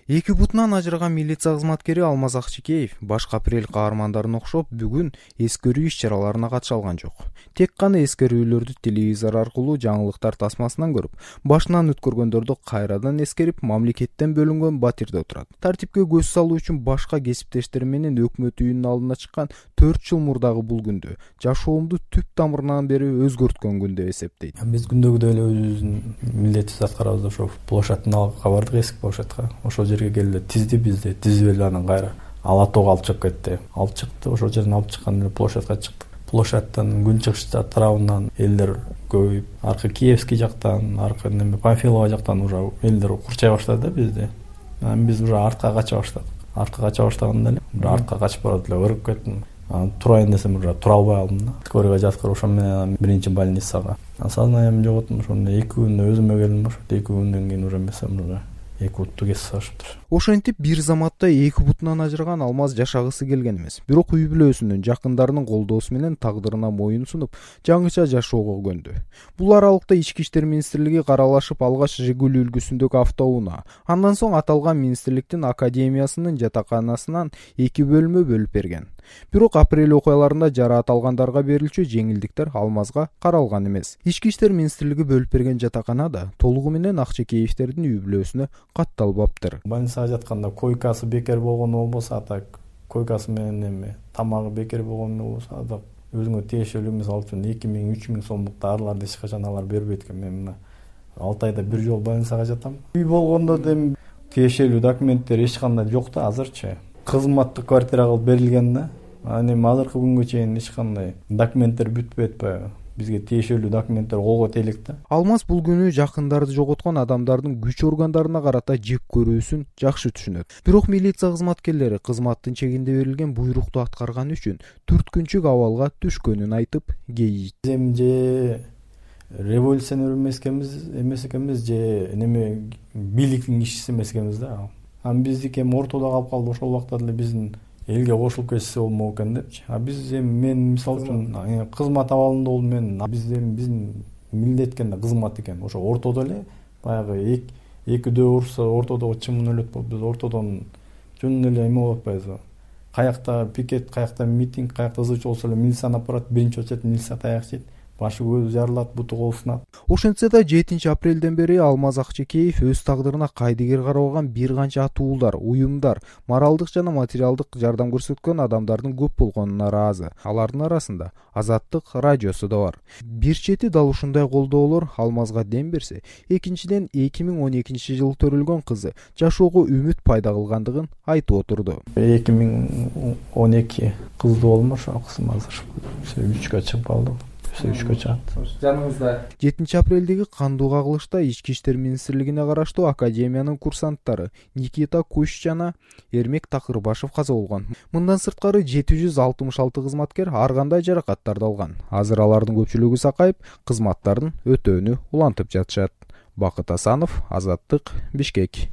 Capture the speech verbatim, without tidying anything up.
Эки бутунан ажыраган милиция кызматкери Алмаз Акчекеев башка апрель каармандарына окшоп бүгүн эскерүү иш-чараларына катыша алган жок. Тек гана эскерүүлөрдү телевизор аркылуу жаңылыктар тасмасынан көрүп, башынан өткөргөндөрдү кайрадан эскерип, мамлекеттен бөлүнгөн батирде отурат. Тартипке көз салуу үчүн башка кесиптештери менен өкмөт үйүнүн алдына чыккан төрт жыл мурдагы бул күндү жашоомду түп тамырынан бери өзгөрткөн күн деп эсептейт. Биз күндөгүдөй эле өзүбүздүн милдетибизди аткарабыз. Ошо площадтын алга бардык, эски площадка. Ошол жерге келди, тизди бизди, тизип эле анан кайра ала тоого алып чыгып кетти. Алып чыкты, ошол жерден алып чыккан эле площадка чыктык. Площадтан күнчыгыш тарабынан элдер көбөйүп, аркы Киевский жактан, аркы неме Панфилова жактан уже элдер курчай баштады да бизди. Анан биз уже артка кача баштадык. Артка кача баштаганда эле уже артка качып барып эле ыргып кеттим. Анан турайын десем уже тура албай калдым да. Скорыйга жаткырып, ошо менен биринчи больницага. Сознаниямды жоготтум. Ошондо эки күндө өзүмө келдим. Ошо эки күндөн кийин уже эмесем уже эки бутту кесип салышыптыр. Ошентип бир заматта эки бутунан ажыраган Алмаз жашагысы келген эмес. Бирок үй бүлөсүнүн, жакындарынын колдоосу менен тагдырына моюн сунуп, жаңыча жашоого көнду. Бул аралыкта Ички иштер министрлиги каралашып алгач Жигули үлгүсүндөгү автоунаа, андан соң аталган министрликтин академиясынын жатаканасынан эки бөлмө бөлүп берген. Бирок апрель окуяларында жараат алгандарга берилчү жеңилдиктер Алмазга каралган эмес. Ички иштер министрлиги бөлүп берген жатакана да толугу менен Акчекеевдердин үй бүлөсүнө катталбаптыр. Больницага жатканда койкасы бекер болгону болбосо, так койкасы менен эме тамагы бекер болгону болбосо, так өзүңө тиешелүү эмес алып үчүн эки миң үч миң сомдук дарыларды эч качан алар бербейт экен. Мен мына алты айда бир жолу больницага жатам. Үй болгондо дем тиешелүү документтер эч кандай жок да азырчы. Кызматтык квартира кылып берилген да. Анан эми азыркы күнгө чейин эч кандай документтер бүтпөйт атпайбы? Бизге тиешелүү документтер колго тейлик да. Алмаз бул күнү жакындарды жоготкон адамдардын күч органдарына карата жек көрүүсүн жакшы түшүнөт. Бирок милиция кызматкерлери кызматтын чегинде берилген буйрукту аткарганы үчүн түрткүнчүк абалга түшкөнүн айтып кейийт. Эми же революционер эмес экенбиз, эмес экенбиз, же неме бийликтин кишиси эмес экенбиз да. Анан биздики эми ортодо калып калды. Ошол убакта деле биздин элге кошулуп кетсе болмок экен депчи. А биз эми мен мисалы үчүн кызмат абалында болдум мен. Биз эми биздин милдет экен да, кызмат экен. Ошо ортодо эле баягы экидөө урса ортодо чымын өлөт болуп, биз ортодон жөн эле эме болуп атпайбызбы? Каякта пикет, каякта митинг, каякта ызычуу болсо эле милицияны апарат, биринчи очередь милиция таяк жейт. Башы көзү жарылат, буту колу сынат. Ошентсе да жетинчи апрелден бери Алмаз Акчекеев өз тагдырына кайдыгер карабаган бир канча атуулдар, уюмдар, моралдык жана материалдык жардам көрсөткөн адамдардын көп болгонуна ыраазы. Алардын арасында Азаттык радиосу да бар. Бир чети дал ушундай колдоолор Алмазга дем берсе, экинчиден эки миң он экинчи жылы төрөлгөн кызы жашоого үмүт пайда кылгандыгын айтып отурду. эки миң он эки кызды болмуш, ошол кызым азыр үчкө чыгып калды. Жаныңызда жетинчи апрелдеги кандуу кагылышта Ички иштер министрлигине караштуу академиянын курсанттары Никита Куш жана Эрмек Такырбашев каза болгон. Мындан сырткары жети жүз алтымыш алты кызматкер ар кандай жаракаттарды алган. Азыр алардын көпчүлүгү сакайып, кызматтарын өтөөнү улантып жатышат. Бакыт Асанов, Азаттык, Бишкек.